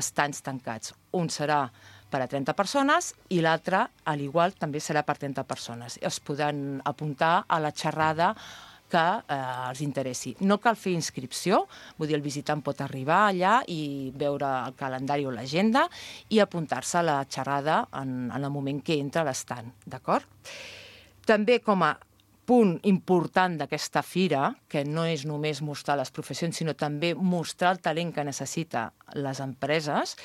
estants tancats. Un serà per a 30 persones i l'altre, a l'igual, també serà per 30 persones. Es podran apuntar a la xerrada que els interessi. No cal fer inscripció, vull dir, el visitant pot arribar allà i veure el calendari o l'agenda i apuntar-se a la xerrada en el moment que entra a l'estant, d'acord? També com a punt important d'aquesta fira, que no és només mostrar les professions, sinó també mostrar el talent que necessita les empreses,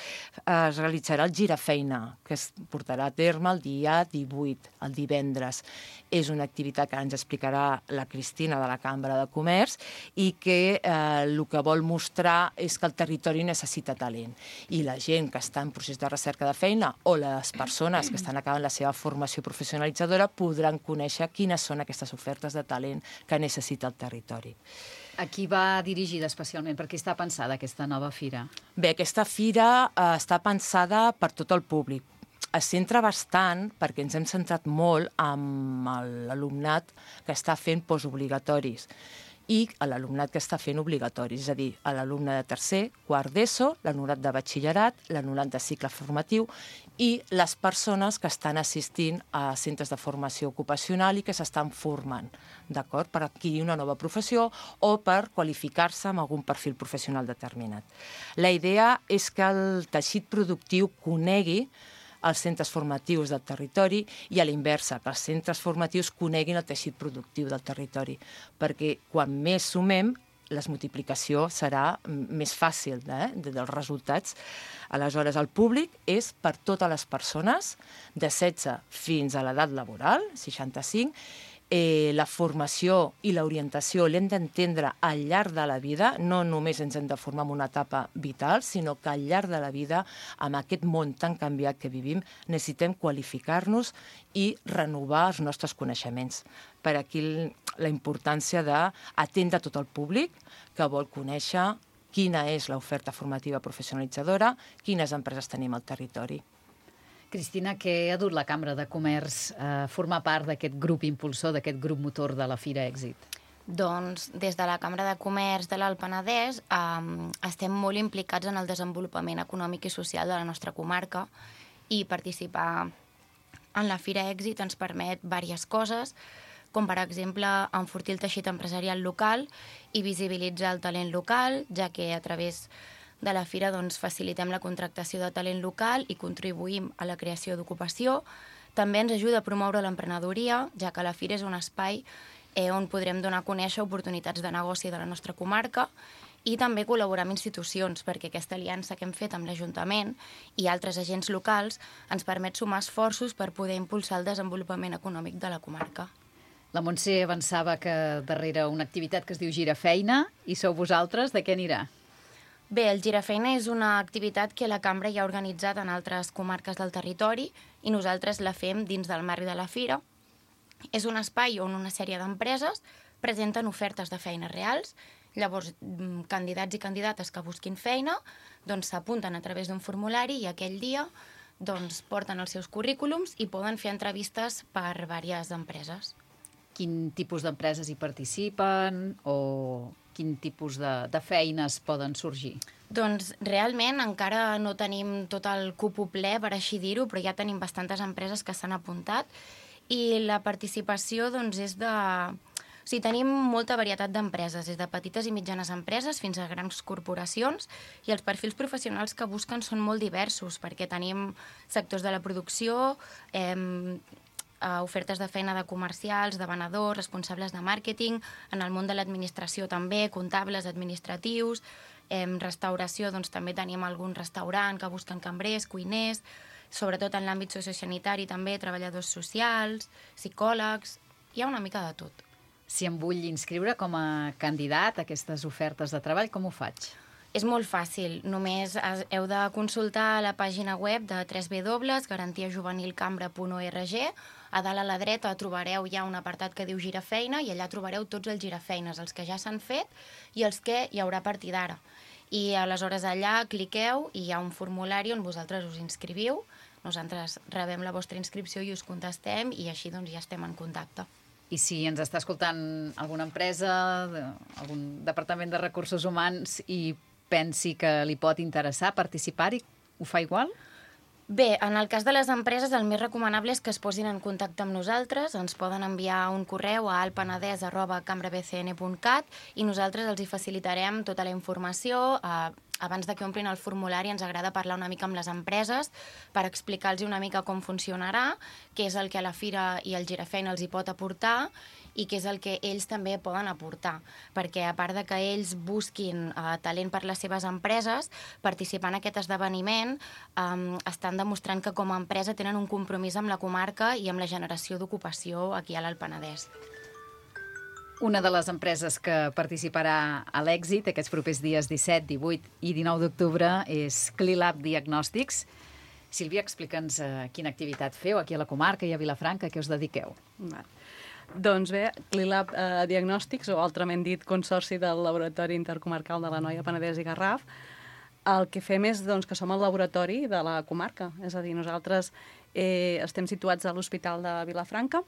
es realitzarà el girafeina, que es portarà a terme el dia 18, el divendres. És una activitat que ens explicarà la Cristina de la Cambra de Comerç i que el que vol mostrar és que el territori necessita talent. I la gent que està en procés de recerca de feina o les persones que estan acabant la seva formació professionalitzadora podran conèixer quines són aquestes ofertes de talent que necessita el territori. A qui va dirigida especialment? Per què està pensada aquesta nova fira? Bé, aquesta fira està pensada per tot el públic. Es centra bastant, perquè ens hem centrat molt amb l'alumnat que està fent postobligatoris i l'alumnat que està fent obligatoris, és a dir, l'alumne de tercer, quart d'ESO, l'alumnat de batxillerat, l'alumnat de cicle formatiu i les persones que estan assistint a centres de formació ocupacional i que s'estan formant, d'acord? Per adquirir una nova professió o per qualificar-se amb algun perfil professional determinat. La idea és que el teixit productiu conegui els centres formatius del territori i a l'inversa, que els centres formatius coneguin el teixit productiu del territori, perquè quan més sumem, la multiplicació serà més fàcil dels resultats. Aleshores, el públic és per totes les persones de 16 fins a l'edat laboral, 65. La formació i l'orientació l'hem d'entendre al llarg de la vida, no només ens hem de formar en una etapa vital, sinó que al llarg de la vida, amb aquest món tan canviat que vivim, necessitem qualificar-nos i renovar els nostres coneixements. Per aquí la importància d'atendre tot el públic que vol conèixer quina és l'oferta formativa professionalitzadora, quines empreses tenim al territori. Cristina, què ha dut la Cambra de Comerç a formar part d'aquest grup impulsor, d'aquest grup motor de la Fira Èxit? Doncs des de la Cambra de Comerç de l'Alt Penedès estem molt implicats en el desenvolupament econòmic i social de la nostra comarca i participar en la Fira Èxit ens permet diverses coses, com per exemple enfortir el teixit empresarial local i visibilitzar el talent local, ja que a través de la Fira facilitem la contractació de talent local i contribuïm a la creació d'ocupació. També ens ajuda a promoure l'emprenedoria, ja que la Fira és un espai on podrem donar a conèixer oportunitats de negoci de la nostra comarca i també col·laborar amb institucions, perquè aquesta aliança que hem fet amb l'Ajuntament i altres agents locals ens permet sumar esforços per poder impulsar el desenvolupament econòmic de la comarca. La Montse avançava que darrere una activitat que es diu Girafeina, i sou vosaltres, de què anirà? Bé, el Girafeina és una activitat que la Cambra ja ha organitzat en altres comarques del territori i nosaltres la fem dins del marc de la Fira. És un espai on una sèrie d'empreses presenten ofertes de feines reals. Llavors, candidats i candidates que busquin feina s'apunten a través d'un formulari i aquell dia porten els seus currículums i poden fer entrevistes per diverses empreses. Quin tipus d'empreses hi participen o quin tipus de feines poden sorgir? Doncs realment encara no tenim tot el cupo ple, per així dir-ho, però ja tenim bastantes empreses que s'han apuntat i la participació és de... O sigui, tenim molta varietat d'empreses, des de petites i mitjanes empreses fins a grans corporacions, i els perfils professionals que busquen són molt diversos, perquè tenim sectors de la producció, ofertes de feina de comercials, de venedors, responsables de màrqueting, en el món de l'administració també, comptables, administratius, restauració, també tenim algun restaurant que busquen cambrers, cuiners, sobretot en l'àmbit sociosanitari també, treballadors socials, psicòlegs, hi ha una mica de tot. Si em vull inscriure com a candidat a aquestes ofertes de treball, com ho faig? És molt fàcil, només heu de consultar la pàgina web de www.garantiajuvenilcambra.org. A dalt a la dreta trobareu ja un apartat que diu Girafeina i allà trobareu tots els girafeines, els que ja s'han fet i els que hi haurà a partir d'ara. I aleshores allà cliqueu i hi ha un formulari on vosaltres us inscriviu, nosaltres rebem la vostra inscripció i us contestem i així ja estem en contacte. I si ens està escoltant alguna empresa, algun departament de recursos humans i pensi que li pot interessar participar-hi, ho fa igual? Bé, en el cas de les empreses el més recomanable és que es posin en contacte amb nosaltres, ens poden enviar un correu a alpenedès@cambrabcn.cat i nosaltres els hi facilitarem tota la informació. Abans de que omplin el formulari ens agrada parlar una mica amb les empreses per explicar-los una mica com funcionarà, què és el que a la Fira i el Girafeina els hi pot aportar i què és el que ells també poden aportar. Perquè a part de que ells busquin talent per les seves empreses, participant en aquest esdeveniment estan demostrant que com a empresa tenen un compromís amb la comarca i amb la generació d'ocupació aquí a l'Alt Penedès. Una de les empreses que participarà a l'Èxit aquests propers dies 17, 18 i 19 d'octubre és Clilab Diagnòstics. Sílvia, explica'ns quina activitat feu aquí a la comarca i a Vilafranca, a què us dediqueu. Doncs bé, Clilab Diagnòstics, o altrament dit Consorci del Laboratori Intercomarcal de l'Anoia, Penedès i Garraf, el que fem és que som el laboratori de la comarca. És a dir, nosaltres estem situats a l'Hospital de Vilafranca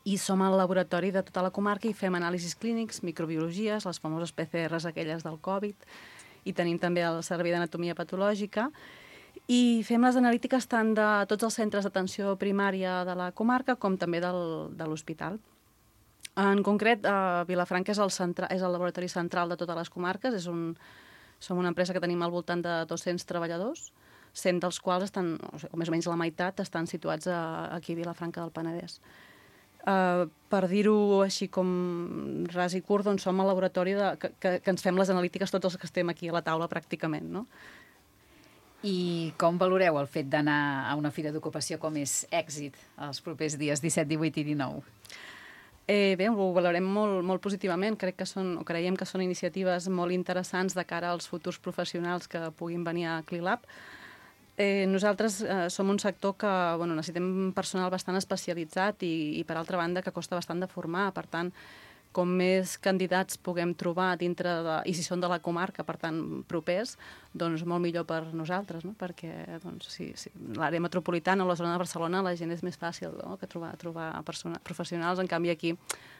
i som el laboratori de tota la comarca i fem anàlisis clínics, microbiologies, les famoses PCRs aquelles del Covid, i tenim també el servei d'anatomia patològica, i fem les analítiques tant de tots els centres d'atenció primària de la comarca com també de l'hospital. En concret, Vilafranca és el laboratori central de totes les comarques, som una empresa que tenim al voltant de 200 treballadors, 100 dels quals o més o menys la meitat, estan situats aquí a Vilafranca del Penedès. Per dir-ho així com ras i curt, som el laboratori que ens fem les analítiques tots els que estem aquí a la taula pràcticament, no? I com valoreu el fet d'anar a una fira d'ocupació com és Èxit els propers dies 17, 18 i 19? Bé, ho valorem molt positivament. Creiem que són iniciatives molt interessants de cara als futurs professionals que puguin venir a Clilab. Nosaltres som un sector que necessitem personal bastant especialitzat i per altra banda, que costa bastant de formar. Per tant, com més candidats puguem trobar dintre i si són de la comarca, per tant, propers, doncs molt millor per nosaltres, no? Perquè doncs, si l'àrea metropolitana o la zona de Barcelona la gent és més fàcil, no? Que trobar professionals, en canvi aquí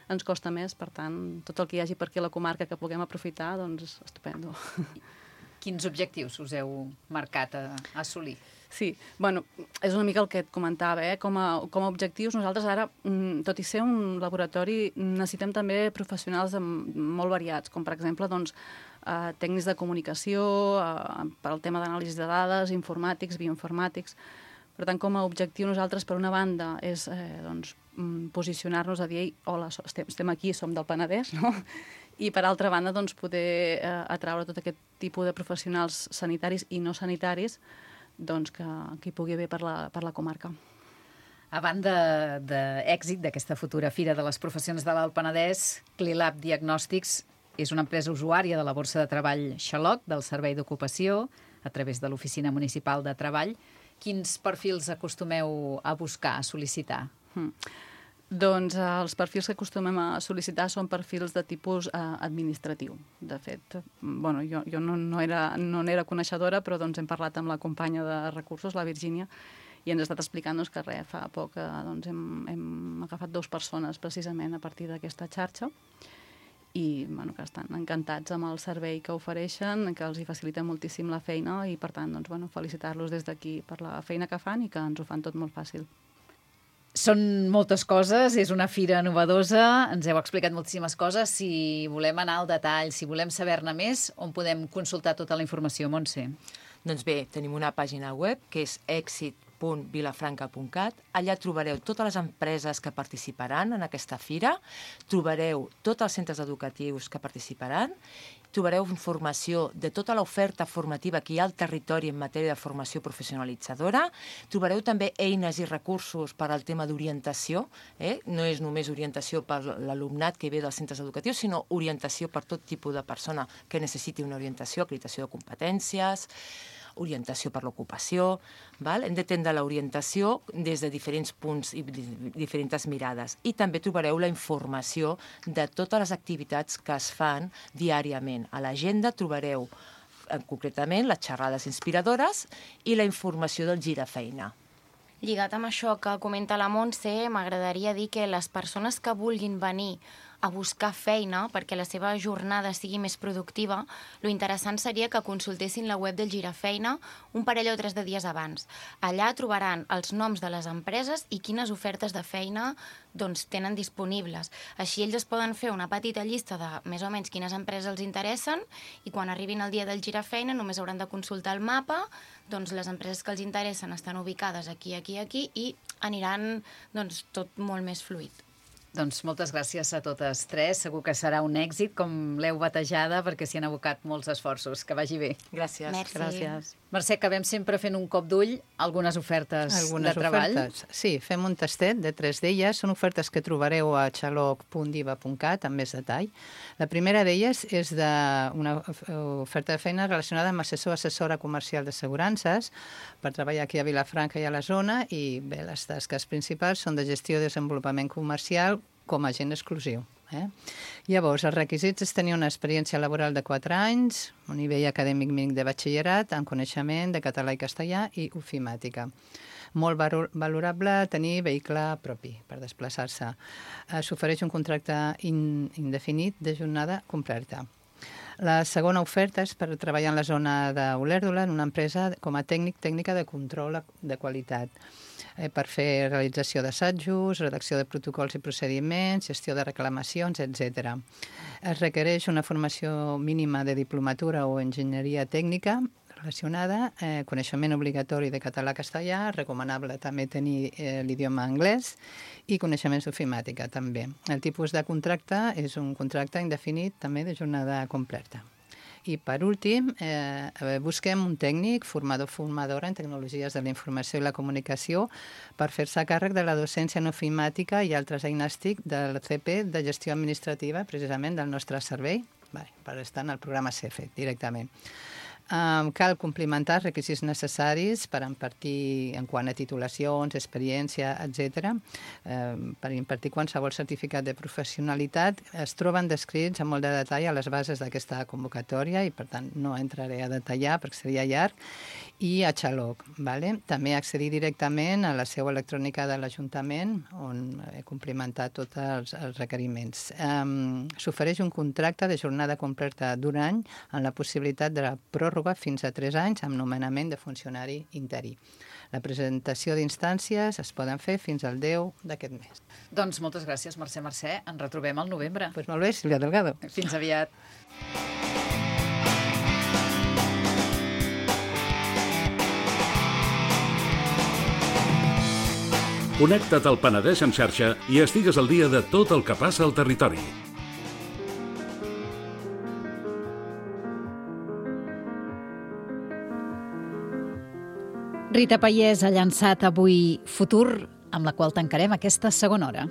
ens costa més, per tant, tot el que hi hagi per aquí a la comarca que puguem aprofitar, doncs estupendo. Quins objectius us heu marcat a assolir? Sí, bueno, és una mica el que et comentava, com a objectius nosaltres ara, tot i ser un laboratori, necessitem també professionals molt variats, com per exemple doncs, tècnics de comunicació, per al tema d'anàlisi de dades, informàtics, bioinformàtics. Per tant, com a objectiu nosaltres, per una banda, és doncs, posicionar-nos a dir hola, estem aquí, som del Penedès, no? I per altra banda, doncs, poder atraure tot aquest tipus de professionals sanitaris i no sanitaris doncs, que hi pugui haver per la comarca. A banda d'èxit d'aquesta futura Fira de les Professions de l'Alt Penedès, Clilab Diagnòstics és una empresa usuària de la Borsa de Treball Xaloc, del Servei d'Ocupació, a través de l'Oficina Municipal de Treball. Quins perfils acostumeu a buscar, a sol·licitar? Doncs els perfils que acostumem a sol·licitar són perfils de tipus administratiu. De fet, bueno, jo no era coneixedora, però doncs, hem parlat amb la companya de recursos, la Virgínia, i ens ha estat explicant doncs, que fa poc doncs, hem agafat 2 persones precisament a partir d'aquesta xarxa i bueno, que estan encantats amb el servei que ofereixen, que els hi facilita moltíssim la feina i per tant doncs, bueno, felicitar-los des d'aquí per la feina que fan i que ens ho fan tot molt fàcil. Són moltes coses, és una fira novedosa, ens heu explicat moltíssimes coses. Si volem anar al detall, si volem saber-ne més, on podem consultar tota la informació, Montse? Doncs bé, tenim una pàgina web que és exit.vilafranca.cat. Allà trobareu totes les empreses que participaran en aquesta fira, trobareu tots els centres educatius que participaran, trobareu informació de tota l'oferta formativa que hi ha al territori en matèria de formació professionalitzadora, trobareu també eines i recursos per al tema d'orientació, no és només orientació per l'alumnat que ve dels centres educatius, sinó orientació per tot tipus de persona que necessiti una orientació, acreditació de competències, orientació per l'ocupació. Hem d'entendre l'orientació des de diferents punts i diferents mirades. I també trobareu la informació de totes les activitats que es fan diàriament. A l'agenda trobareu concretament les xerrades inspiradores i la informació del girafeina. Lligat amb això que comenta la Montse, m'agradaria dir que les persones que vulguin venir a buscar feina perquè la seva jornada sigui més productiva, lo interessant seria que consultessin la web del Girafeina un parell o 3 de dies abans. Allà trobaran els noms de les empreses i quines ofertes de feina doncs, tenen disponibles. Així ells es poden fer una petita llista de més o menys quines empreses els interessen i quan arribin el dia del Girafeina només hauran de consultar el mapa, doncs les empreses que els interessen estan ubicades aquí i aniran doncs, tot molt més fluid. Doncs moltes gràcies a totes 3. Segur que serà un èxit, com l'heu batejada, perquè s'hi han abocat molts esforços. Que vagi bé. Gràcies. Gràcies. Mercè, acabem sempre fent un cop d'ull algunes ofertes de treball. Sí, fem un tastet de 3 d'elles. Són ofertes que trobareu a xaloc.diva.cat amb més detall. La primera d'elles és una oferta de feina relacionada amb assessora comercial d'assegurances per treballar aquí a Vilafranca i a la zona i bé, les tasques principals són de gestió i desenvolupament comercial com a agent exclusiu. Llavors, els requisits és tenir una experiència laboral de 4 anys, un nivell acadèmic mínim de batxillerat, amb coneixement de català i castellà i ofimàtica. Molt valorable tenir vehicle propi per desplaçar-se. S'ofereix un contracte indefinit de jornada completa. La segona oferta és per treballar en la zona d'Olèrdola en una empresa com a tècnica de control de qualitat per fer realització d'assajos, redacció de protocols i procediments, gestió de reclamacions, etc. Es requereix una formació mínima de diplomatura o enginyeria tècnica relacionada, coneixement obligatori de català-castellà, recomanable també tenir l'idioma anglès i coneixements d'ofimàtica també. El tipus de contracte és un contracte indefinit també de jornada completa. I per últim, busquem un tècnic, formadora en tecnologies de la informació i la comunicació per fer-se càrrec de la docència en ofimàtica i altres eines TIC del CP de gestió administrativa, precisament del nostre servei, per estar en el programa CEFET directament. Cal complimentar els requisits necessaris per impartir en quant a titulacions, experiència, etc. Per impartir qualsevol certificat de professionalitat es troben descrits amb molt de detall a les bases d'aquesta convocatòria i, per tant, no entraré a detallar perquè seria llarg, i a Xaloc. També accedir directament a la seu electrònica de l'Ajuntament on he complimentat tots els requeriments. S'ofereix un contracte de jornada completa d'un any amb la possibilitat de la pròrroga fins a 3 anys amb nomenament de funcionari interí. La presentació d'instàncies es poden fer fins al 10 d'aquest mes. Doncs moltes gràcies, Mercè. Ens retrobem al novembre. Pues molt bé, Sílvia Delgado. Fins aviat. Connecta't al Penedès en xarxa i estigues al dia de tot el que passa al territori. Rita Pallés ha llançat avui Futur, amb la qual tancarem aquesta segona hora.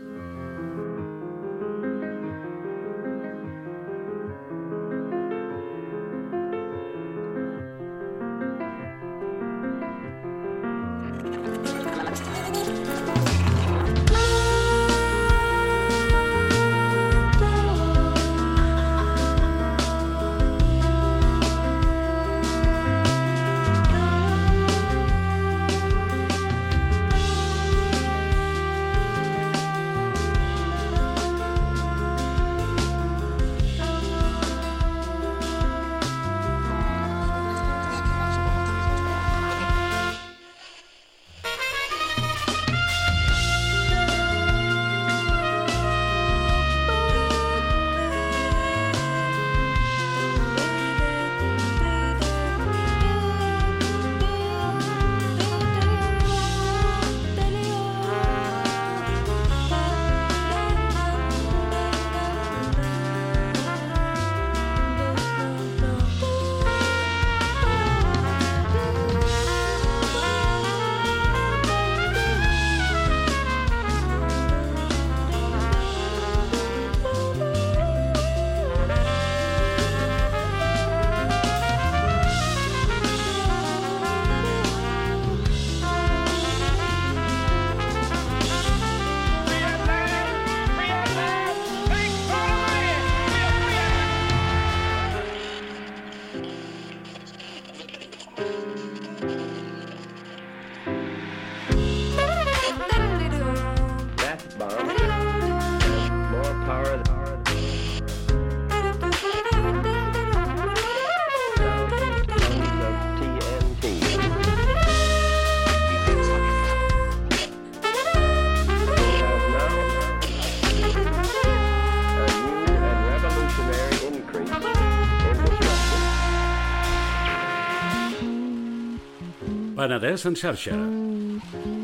Penedès en xarxa.